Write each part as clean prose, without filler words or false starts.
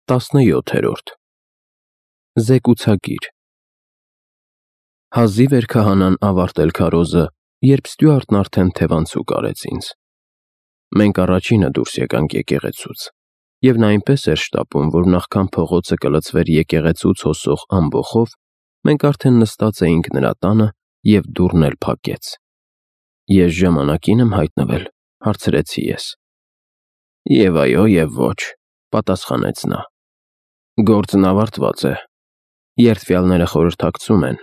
17-րդ Զեկուցագիր Հազիվ էր քահանան ավարտել քարոզը, երբ Ստյուարտն արդեն թևանցուկ արեց ինձ։ Մենք առաջինը դուրս եկանք եկեղեցուց, և նա այնպես էր շտապում, որ նախքան փողոցը կլցվեր եկեղեցուց հոսող ամբոխով, մենք արդեն նստած էինք նրա տանը, և դուռն էլ փակեց։ Ես ժամանակին եմ հայտնվել, հարցրեցի ես։ Եվ այո, և ոչ, պատասխանեց նա։ Գործն ավարտված է։ Երդվյալները խորհրդակցում են,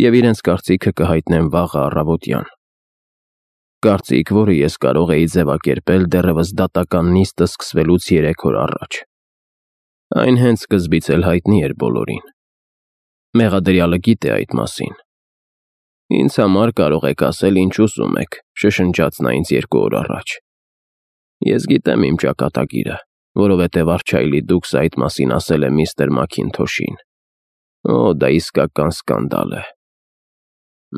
և իրենց կարծիքը կհայտնեն վաղը առավոտյան։ Կարծիք, որը ես կարող էի ձևակերպել դեռևս դատական նիստը սկսվելուց 3 օր առաջ։ Այն հենց սկզբից էլ հայտնի էր բոլորին։ Մեղադրյալը գիտե այդ մասին։ Ինձ համար կարող եք ասել ինչ ուզում եք, շշնջաց նա ինձ 2 օր առաջ։ Ես գիտեմ իմ ճակատագիրը, որովհետև Արչայլի դուքս այդ մասին ասել է միստր Մաքինթոշին։ Օ, դա իսկական սկանդալ է։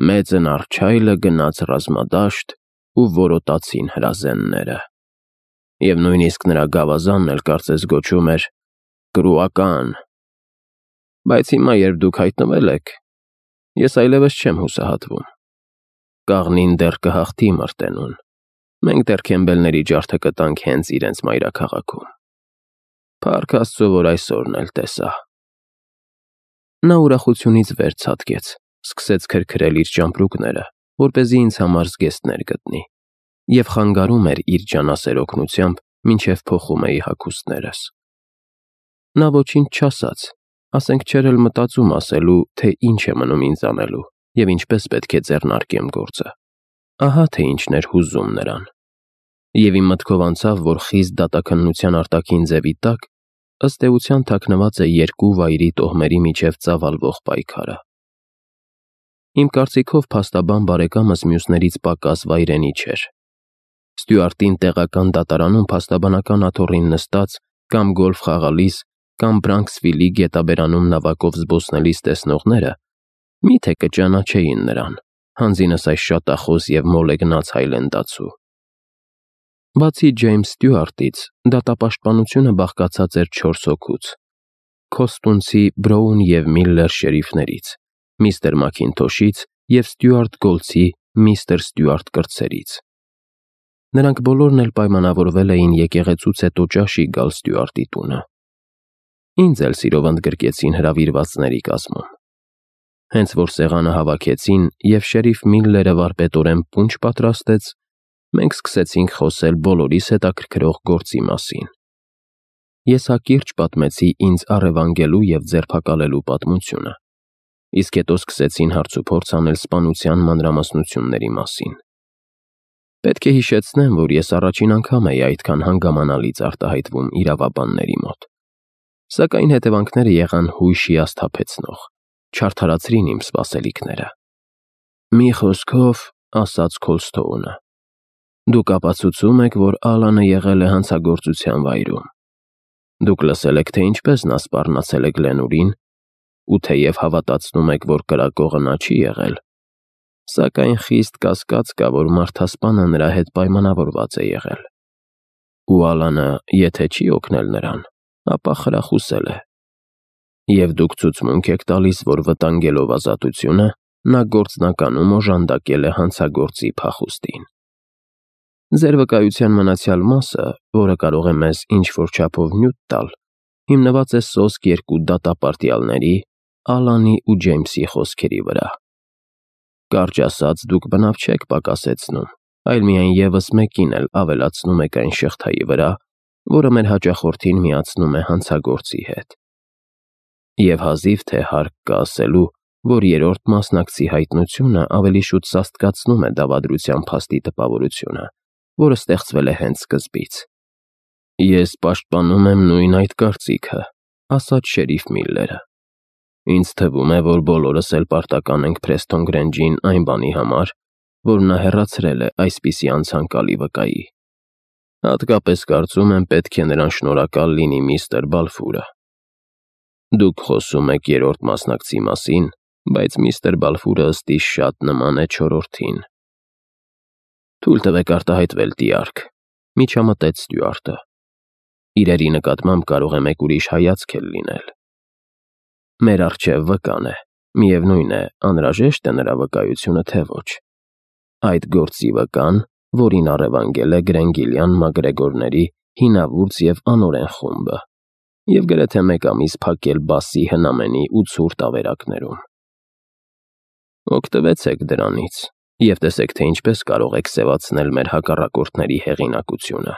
Մեծն Արչայլը գնաց ռազմադաշտ ու որոտացին հրազենները։ Եվ նույնիսկ նրա գավազանն էլ կարծես գոչում էր Կրուական։ Բայց հիմա, երբ դուք հայտնվել եք, ես այլևս չեմ հուսահատվում։ Կաղնին դեռ կհաղթի Մրտենուն։ Մենք դեռ Քեմբելների ջարդը կտանք հենց իրենց մայրաքաղաքում։ Փառք Աստծո, որ այսօրն էլ տեսա։ Նա ուրախությունից վեր ցատկեց, սկսեց քրքրել իր ճամպրուկները, որպեսզի ինձ համար զգեստներ գտնի, և խանգարում էր իր ջանասեր օգնությամբ, մինչև փոխում էի հագուստներս։ Նա ոչինչ չասաց, ասենք չէր էլ մտածում ասելու, թե ինչ է մնում ինձ անելու, և ինչպես պետք է ձեռնարկեմ գործը։ Ահա թե ինչն էր հուզում նրան։ Եվ իմ մտքով անցավ, որ խիստ դատաքննության արտաքին ձևի տակ, ըստ էության թաքնված է 2 վայրի տոհմերի միջև ծավալվող պայքարը։ Իմ կարծիքով փաստաբան բարեկամս մյուսներից պակաս վայրենի չէր։ Ստյուարտին տեղական դատարանում փաստաբանական աթոռին նստած, կամ գոլֆ խաղալիս, կամ Բրանքսվիլի գետաբերանում նավակով զբոսնելիս տեսնողները մի՞թե կճանաչեին նրան, հանձինս այս շատախոս և մոլեգնած հայլենդացու։ Բացի Ջեյմս Ստյուարտից, դատապաշտպանությունը բաղկացած էր 4 հոգուց. Քոստունցի Բրոուն և Միլլեր շերիֆներից, միստր Մաքինթոշից և Ստյուարտ Գոլցի միստր Ստյուարտ կրտսերից։ Նրանք բոլորն էլ պայմանավորվել էին եկեղեցուց հետո ճաշի գալ Ստյուարտի տունը։ Ինձ էլ սիրով ընդգրկեցին հրավիրվածների կազմում։ Հենց որ սեղանը հավաքեցին, և շերիֆ Միլլերը վարպետորեն պունչ պատրաստեց, մենք սկսեցինք խոսել բոլորիս հետաքրքրող գործի մասին։ Ես հակիրճ պատմեցի ինձ առևանգելու և ձերբակալելու պատմությունը, իսկ հետո սկսեցին հարցուփորձ անել սպանության մանրամասնությունների մասին։ Պետք է հիշեցնեմ, որ ես առաջին անգամ էի այդքան հանգամանալից արտահայտվում իրավաբանների մոտ։ Սակայն հետևանքները եղան հույժ հիասթափեցնող, չարդարացրին իմ սպասելիքները։ Մի խոսքով, ասաց Քոլսթոունը, դուք ապացուցում եք, որ Ալանը եղել է հանցագործության վայրում։ Դուք լսել եք, թե ինչպես նա սպառնացել է Գլենուրին, ու թեև հավատացնում եք, որ կրակողը նա չի եղել, սակայն խիստ կասկած կա, որ մարդասպանը նրա հետ պայմանավորված է եղել։ Ու Ալանը, եթե չի օգնել նրան, ապա խրախուսել է։ Եվ դուք ցուցմունք եք տալիս, որ վտանգելով ազատությունը, նա գործնականում օժանդակել է հանցագործի փախուստին։ Ձեր վկայության մնացյալ մասը, որը կարող է մեզ ինչ-որ չափով նյութ տալ, հիմնված է սոսկ 2 դատապարտյալների՝ Ալանի ու Ջեյմսի խոսքերի վրա։ Կարճ ասած, դուք բնավ չեք պակասեցնում, այլ միայն ևս մեկին էլ ավելացնում եք այն շղթայի վրա, որը մեր հաճախորդին միացնում է հանցագործի հետ։ Եվ հազիվ թե հարկ կա ասելու, որ 3-րդ մասնակցի հայտնությունը ավելի շուտ սաստկացնում է դավադրության փաստի տպավորությունը, որը ստեղծվել է հենց սկզբից։ Ես պաշտպանում եմ նույն այդ կարծիքը, ասաց շերիֆ Միլլերը։ Ինձ թվում է, որ բոլորս էլ պարտական ենք Փրեսթոն Գրենջին այն բանի համար, որ նա հեռացրել է այսպիսի անցանկալի վկայի։ Հատկապես կարծում եմ, պետք է նրան շնորհակալ լինի միստր Բալֆուրը։ Դուք խոսում եք 3-րդ մասնակցի մասին, բայց միստր Բալֆուրը ըստ իս շատ նման է 4-րդին։ Թույլ տվեք արտահայտվել, տիարք, միջամտեց Ստյուարտը։ Իրերի նկատմամբ կարող է մեկ ուրիշ հայացք էլ լինել։ Մեր առջև վկան է, միևնույն է, անհրաժեշտ է նրա վկայությունը, թե ոչ։ Այդ գործի վկան, որին առևանգել է Գրենգիլյան մակգրեգորների հինավուրց և անօրեն խումբը, և գրեթե մեկ ամիս փակել Բասի հնամենի ու ցուրտ ավերակներում։ Օգտվեցեք դրանից և տեսեք, թե ինչպես կարող եք սևացնել մեր հակառակորդների հեղինակությունը։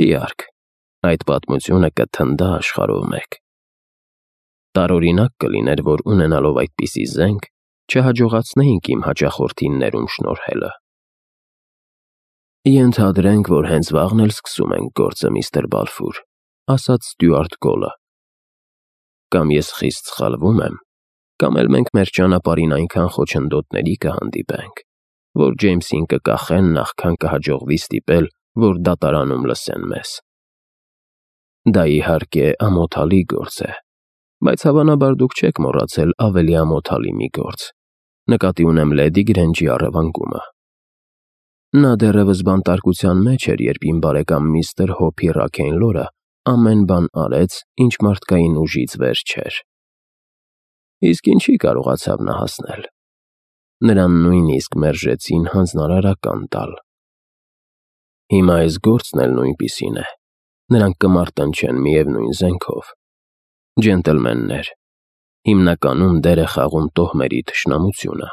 Դիարք, այդ պատմությունը կթնդա աշխարհով մեկ։ Տարօրինակ կլիներ, որ ունենալով այդպիսի զենք, չհաջողացնեինք իմ հաճախորդին ներում շնորհելը։ Ենթադրենք, որ հենց վաղն էլ սկսում ենք գործը, միստր Բալֆուր, ասաց Ստյուարտ Գոլը։ Կամ ես խիստ սխալվում եմ, կամ էլ մենք մեր ճանապարհին այնքան խոչընդոտների կհանդիպենք, որ Ջեյմսին կկախեն, նախքան կհաջողվի ստիպել, որ դատարանում լսեն մեզ։ Դա իհարկե ամոթալի գործ է, բայց հավանաբար դուք չեք մոռացել ավելի ամոթալի մի գործ, նկատի ունեմ Լեդի Գրենջի առևանգումը։ Նա դեռևս բանտարկության մեջ էր, երբ իմ բարեկամ միստր Հոփի Ռաքեյնլորը ամեն բան արեց, ինչ մարդկային ուժից վեր չէր։ Իսկ ինչի կարողացավ նա հասնել։ Նրան նույնիսկ մերժեցին հանձնարարական տալ։ Հիմա այս գործն էլ նույնպիսին է։ Նրանք կմարտնչեն միևնույն զենքով։ Ջենտլմեններ, հիմնականում դեր է խաղում տոհմերի թշնամությունը։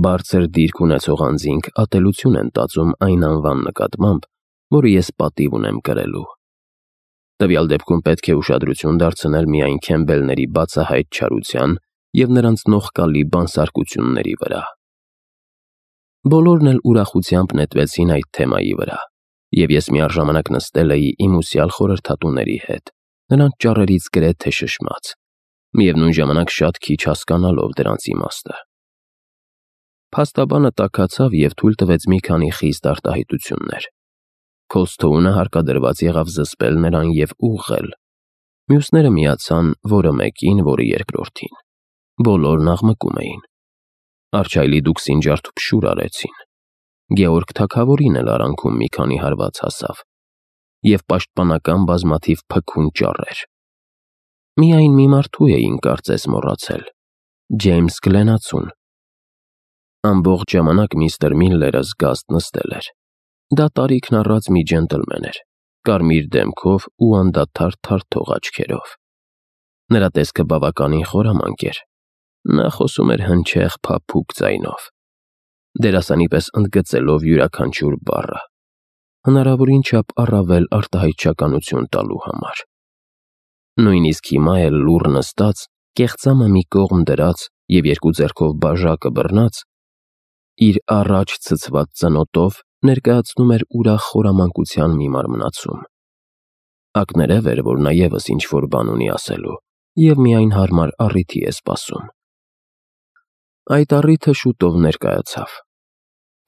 Բարձր դիրք ունեցող անձինք ատելություն են տածում այն անվան նկատմամբ, որը ես պատիվ ունեմ կրելու։ Տվյալ դեպքում պետք է ուշադրություն դարձնել միայն Քեմբելների բացահայտ չարության և նրանց նողկալի բանսարկությունների վրա։ Բոլորն էլ ուրախությամբ նետվեցին այդ թեմայի վրա, և ես միառժամանակ նստել էի իմ ուսյալ խորհրդատուների հետ, նրանց ճառերից գրեթե շշմած, միևնույն ժամանակ շատ քիչ հասկանալով դրանց իմաստը։ Փաստաբանը տաքացավ և թույլ տվեց մի քանի խիստ արտահայտություններ։ Քոլսթոունը հարկադրված եղավ զսպել նրան և ուղղել։ Մյուսները միացան որը մեկին, որը երկրորդին։ Բոլորն աղմկում էին։ Արչայլի Դուքսին ջարդուփշուր արեցին։ Գեորգ թագավորին էլ արանքում մի քանի հարված հասավ, և պաշտպանական բազմաթիվ փքուն ճառեր։ Միայն մի մարդու էին կարծես մոռացել՝ Ջեյմս Գլենացուն։ Ամբողջ ժամանակ միստր Միլլերը զգաստ նստել էր։ Դա տարիքն առած մի ջենտլմեն էր, կարմիր դեմքով ու անդադար թարթող աչքերով։ Նրա տեսքը բավականին խորամանկ էր։ Նա խոսում էր հնչեղ, փափուկ ձայնով, դերասանի պես ընդգծելով յուրաքանչյուր բառը, հնարավորին չափ առավել արտահայտչականություն տալու համար։ Նույնիսկ հիմա էլ լուռ նստած, կեղծամը մի կողմ դրած և երկու ձեռքով բաժակը բռնած, իր առաջ ցցված ծնոտով ներկայացնում էր ուրախ խորամանկության մի մարմնացում։ Ակներև էր, որ նա ևս ինչ-որ բան ունի ասելու և միայն հարմար առիթի է սպասում։ Այդ առիթը շուտով ներկայացավ։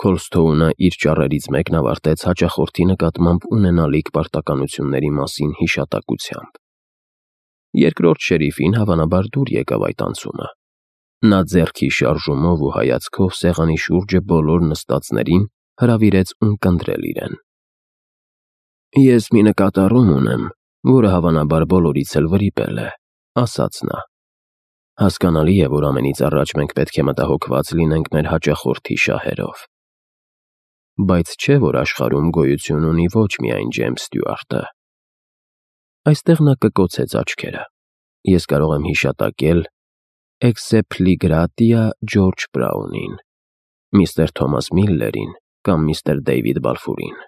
Քոլսթոունը իր ճառերից մեկն ավարտեց հաճախորդի նկատմամբ ունենալիք պարտականությունների մասին հիշատակությամբ։ Երկրորդ շերիֆին հավանաբար դուր եկավ այդ անցումը։ Նա ձեռքի շարժումով ու հայացքով սեղանի շուրջը բոլոր նստածներին հրավիրեց ունկնդրել իրեն։ «Ես մի նկատառում ունեմ, որը հավանաբար բոլորից էլ վրիպել է», ասաց նա։ «Հասկանալի է, որ ամենից առաջ մենք պետք է մտահոգված լինենք մեր հաճախորդի շահերով։ Բայց չէ՞ որ աշխարհում գոյություն ունի ոչ միայն Ջեյմս Ստյուարտը»։ Այստեղ նա կկոցեց աչքերը։ Ես կարող եմ հիշատակել Էքսեփլիգրատիա Ջորջ Բրաունին, միստր Թոմաս Միլլերին կամ միստր Դեյվիդ Բալֆուրին։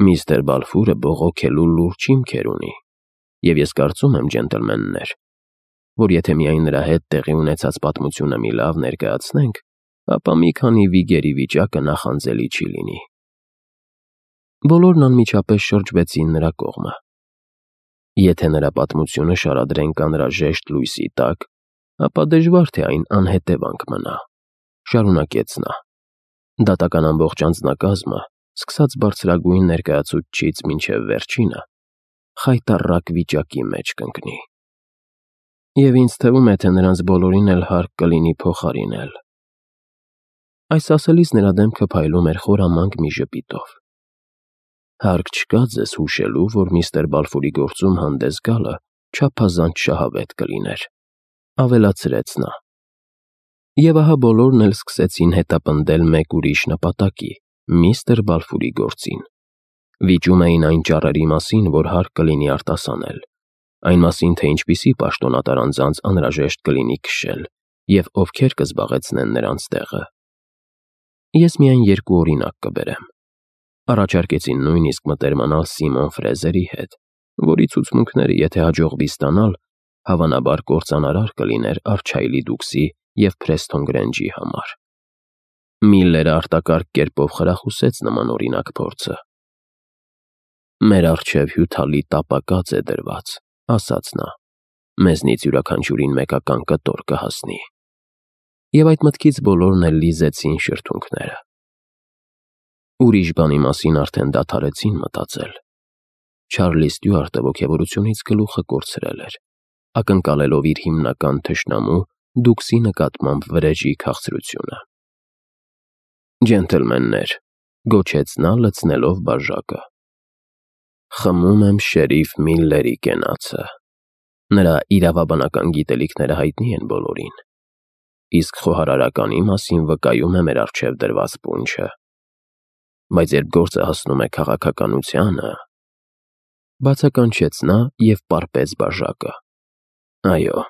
Միստր Բալֆուրը բողոքելու լուրջ հիմքեր ունի, և ես կարծում եմ, ջենտլմեններ, որ եթե միայն նրա հետ տեղի ունեցած պատմությունը մի լավ ներկայացնենք, ապա մի քանի վիգերի վիճակը նախանձելի չի լինի։ Բոլորն անմիջապես շրջվեցին նրա կողմը։ Եթե նրա պատմությունը շարադրենք անհրաժեշտ լույսի տակ, ապա դժվար թե այն անհետևանք մնա, շարունակեց նա։ Դատական ամբողջ անձնակազմը, սկսած բարձրագույն ներկայացուցչից մինչև վերջինը, խայտառակ վիճակի մեջ կընկնի։ Եվ ինձ թվում է, թե նրանց բոլորին էլ հարկ կլինի փոխարինել։ Այս ասելիս նրա դեմքը փայլում էր խորամանկ մի ժպիտով։ Հարկ չկա ձեզ հուշելու, որ միստր Բալֆուրի գործում հանդես գալը չափազանց շահավետ կլիներ, ավելացրեց նա։ Եվ ահա բոլորն էլ սկսեցին հետապնդել մեկ ուրիշ նպատակի՝ միստր Բալֆուրի գործին։ Վիճում էին այն ճառերի մասին, որ հարկ կլինի արտասանել, այն մասին, թե ինչպիսի պաշտոնատար անձանց անհրաժեշտ կլինի քշել և ովքեր կզբաղեցնեն նրանց տեղը։ Ես միայն երկու օրինակ կբերեմ։ Առաջարկեցին նույնիսկ մտերմանալ Սիմոն Ֆրեզերի հետ, որի ցուցմունքները, եթե հաջողվի ստանալ, հավանաբար կործանարար կլիներ Արչայլի Դուքսի և Փրեսթոն Գրենջի համար։ Միլլերը արտակարգ կերպով խրախուսեց նման օրինակ փորձը։ «Մեր առջև հյութալի տապակած է դրված», ասաց նա, «մեզնից յուրաքանչյուրին մեկական կտոր կհասնի»։ Եվ այդ մտքից բոլորն էլ լիզեցին շրթունքները։ Ուրիշ բանի մասին արդեն դադարեցին մտածել։ Չարլի Ստյուարտը ոգևորությունից գլուխը կորցրել էր, ակնկալելով իր հիմնական թշնամու Դուքսի նկատմամբ վրեժի քաղցրությունը։ «Ջենթլմեններ», գոչեց նա, լցնելով բաժակը, «խմում եմ շերիֆ Միլլերի կենացը։ Նրա իրավաբանական գիտելիքները հայտնի են բոլորին, իսկ խոհարարականի մասին վկայում է մեր առջև դրված պունչը։ Բայց երբ գործը հասնում է քաղաքականությանը…» Բացականչեց նա և պարպեց բաժակը։ «Այո,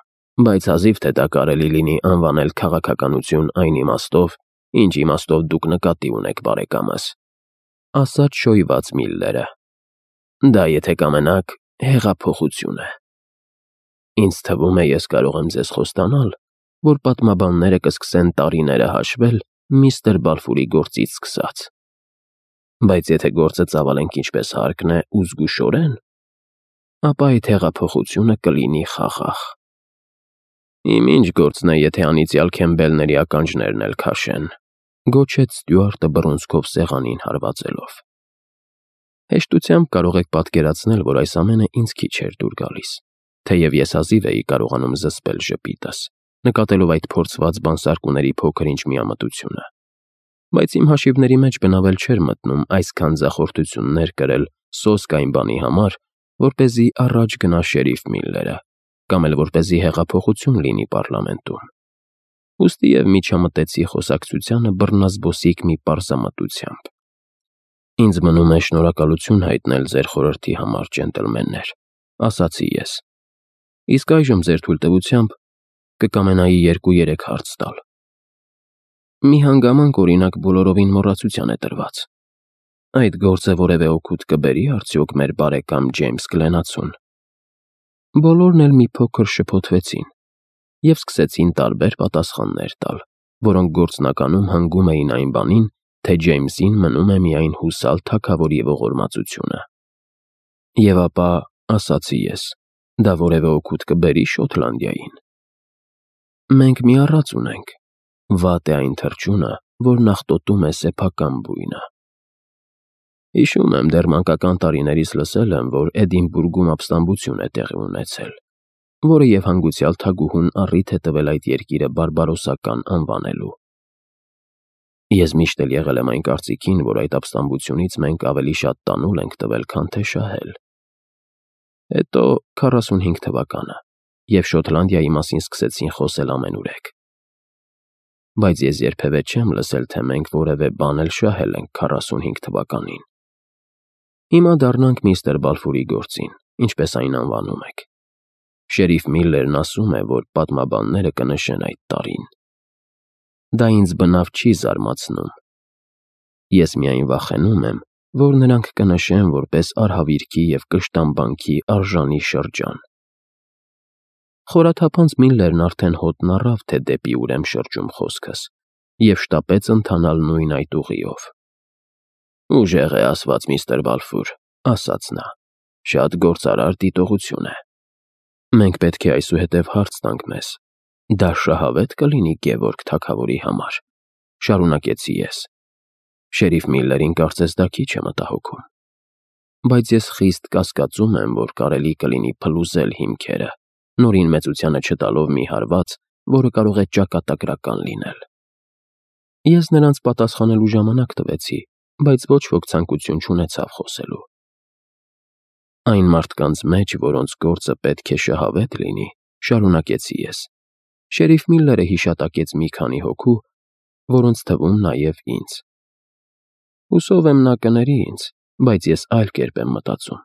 բայց հազիվ թե դա կարելի լինի անվանել քաղաքականություն այն իմաստով, ինչ իմաստով դուք նկատի ունեք, բարեկամս», ասաց շոյված Միլլերը։ «Դա, եթե կամենաք, հեղափոխություն է։ Ինձ թվում է, ես կարող եմ ձեզ խոստանալ, որ պատմաբանները կսկսեն տարիները հաշվել միստր Բալֆուրի գործից սկսած։ Բայց եթե գործը ծավալենք ինչպես հարկն է ու զգուշորեն, ապա այդ հեղափոխությունը կլինի խաղաղ։ Իմ ինչ գործն է, եթե անիծյալ Քեմբելների ականջներն էլ քաշեն», գոչեց Ստյուարտը բռունցքով սեղանին հարվածելով։ Հեշտությամբ կարող եք պատկերացնել, որ այս ամենը ինձ քիչ էր դուր գալիս, թեև ես հազիվ էի կարողանում զսպել ժպիտս, նկատելով այդ փորձված բանսարկուների փոքր-ինչ միամտությունը։ Բայց իմ հաշիվների մեջ բնավել չէր մտնում այսքան ձախորդություններ կրել սոսկ այն բանի համար, որպեսզի առաջ գնա շերիֆ Միլլերը, կամ էլ որպեսզի հեղափոխություն լինի պառլամենտում։ Ուստի և միջամտեցի խոսակցությանը բռնազբոսիկ մի պարզամտությամբ։ «Ինձ մնում է շնորհակալություն հայտնել ձեր խորհրդի համար, ջենտլմեններ», ասացի ես։ «Իսկ այժմ ձեր թույլտվությամբ կկամենայի 2-3 հարց տալ։ Մի հանգամանք, օրինակ, բոլորովին մոռացության է տրված. այդ գործը որևէ օգուտ կբերի՞ արդյոք մեր բարեկամ Ջեյմս Գլենացուն»։ Բոլորն էլ մի փոքր շփոթվեցին և սկսեցին տարբեր պատասխաններ տալ, որոնք գործնականում հանգում էին այն բանին, թե Ջեյմսին մնում է միայն հուսալ թագավորի ողորմածությունը։ «Եվ ապա, ասացի ես, դա որևէ օգուտ կբերի՞ Շոտլանդիային։ Մենք մի առած ունենք. վատ է այն թռչունը, որ նախտոտում է սեփական բույնը։ Հիշում եմ, դեռ մանկական տարիներիս լսել եմ, որ Էդինբուրգում ապստամբություն է տեղի ունեցել, որը և հանգուցյալ թագուհուն առիթ է տվել այդ երկիրը բարբարոսական անվանելու։ Ես միշտ էլ եղել եմ այն կարծիքին, որ այդ ապստամբությունից մենք ավելի շատ տանուլ ենք տվել, քան թե շահել։ Հետո 45 թվականը, և Շոտլանդիայի մասին սկսեցին խոսել ամենուրեք։ Բայց ես երբևէ չեմ լսել, թե մենք որևէ բան էլ շահել ենք 45 թվականին։ Հիմա դառնանք միստր Բալֆուրի գործին, ինչպես այն անվանում եք։ Շերիֆ Միլլերն ասում է, որ պատմաբանները կնշեն այդ տարին։ Դա ինձ բնավ չի զարմացնում։ Ես միայն վախենում եմ, որ նրանք կնշեն որպես արհավիրքի և կշտամբանքի արժանի շրջան։ Խորաթափանց Միլլերն արդեն հոտն առավ, թե դեպի ուր եմ շրջում խոսքս, և շտապեց ընթանալ նույն այդ ուղիով։ «Ուժեղ է ասված, միստր Բալֆուր», ասաց նա, «շատ գործարար դիտողություն է։ Մենք պետք է այսուհետև հարց տանք մեզ. դա շահավե՞տ կլինի Գևորգ թագավորի համար», շարունակեցի ես։ Շերիֆ Միլլերին կարծես դա քիչ է մտահոգում։ Բայց ես խիստ կասկածում եմ, որ կարելի կլինի փլուզել հիմքերը, նորին մեծությանը չտալով մի հարված, որը կարող է ճակատագրական լինել։ Ես նրանց պատասխանելու ժամանակ տվեցի, բայց ոչ ոք ցանկություն չունեցավ խոսելու։ Այն մարդկանց մեջ, որոնց գործը պետք է շահավետ լինի, շարունակեցի ես։ Շերիֆ Միլլերը հիշատակեց մի քանի հոգու, որոնց թվում նաև ինձ։ Հուսով եմ նա կների ինձ, բայց ես այլ կերպ եմ մտածում։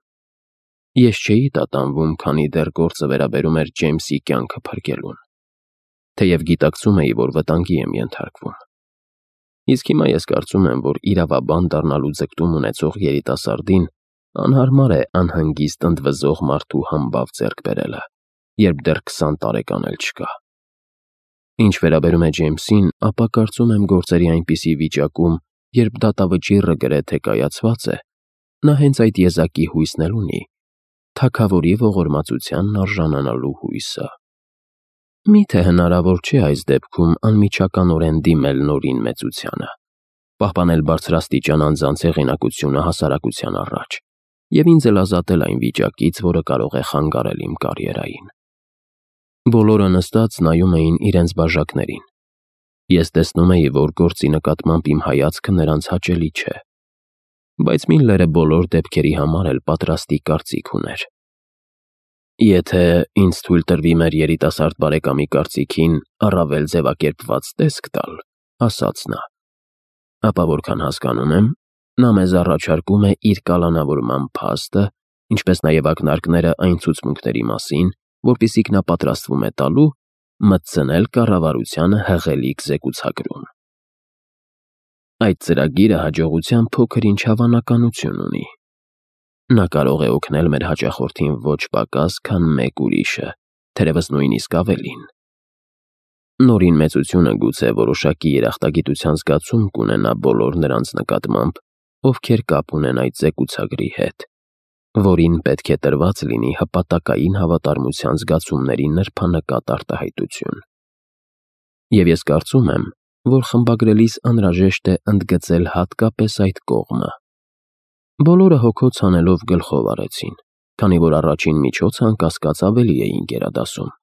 Ես չէի տատանվում, քանի դեռ գործը վերաբերում էր Ջեյմսի կյանքը փրկելուն, թեև գիտակցում էի, որ վտանգի եմ ենթարկվում։ Իսկ հիմա ես կարծում եմ, որ իրավաբան դառնալու ձգտում ունեցող երիտասարդին անհարմար է անհանգիստ ընդվզող մարդու համբավ ձեռք բերելը, երբ դեռ 20 տարեկան էլ չկա։ Ինչ վերաբերում է Ջեյմսին, ապա կարծում եմ գործերի այնպիսի վիճակում, երբ դատավճիռը գրեթե կայացված է, նա հենց այդ եզակի հույսն էլ ունի, թագավորի ողորմածությանն արժանանալու հույսը։ Միթե հնարավոր չէ այս դեպքում անմիջականորեն դիմել նորին մեծությանը, պահպանել բարձրաստիճան անձանց հեղինակությունը հասարակության առաջ և ինձ էլ ազատել այն վիճակից, որը կարող է խանգարել իմ կարիերային։ Բոլորը նստած նայում էին իրենց բաժակներին։ Ես տեսնում էի, որ գործի նկատմամբ իմ հայացքը նրանց հաճելի չէ, բայց Միլլերը բոլոր դեպքերի համար էլ պատրաստի կարծիք ուներ։ Եթե ինձ թույլ տրվի մեր երիտասարդ բարեկամի կարծիքին առավել ձևակերպված տեսք տալ, ասաց նա, ապա որքան հասկանում եմ, նա մեզ առաջարկում է իր կալանավորման փաստը, ինչպես նաև ակնարկները այն ցուցմունքների մասին, որպիսիք նա պատրաստվում է տալու, մտցնել կառավարությանը հղելիկ զեկուցագրում։ Այդ ծրագիրը հաջողության փոքր-ինչ հավանականություն ունի։ Նա կարող է օգնել մեր հաճախորդին ոչ պակաս, քան մեկ ուրիշը, թերևս նույնիսկ ավելին։ Նորին մեծությունը գուցե որոշակի երախտագիտության զգացում կունենա բոլոր նրանց նկատմամբ, ովքեր կապ ունեն այդ զեկուցագրի հետ, որին պետք է տրված լինի հպատակային հավատարմության զգացումների նրբանկատ արտահայտություն։ Եվ ես կարծում եմ, որ խմբագրելիս անհրաժեշտ է ընդգծել հատկապես այդ կողմը։ Բոլորը հոգոց հանելով գլխով արեցին, քանի որ առաջին միջոցը անկասկած ավելի էին գերադասում։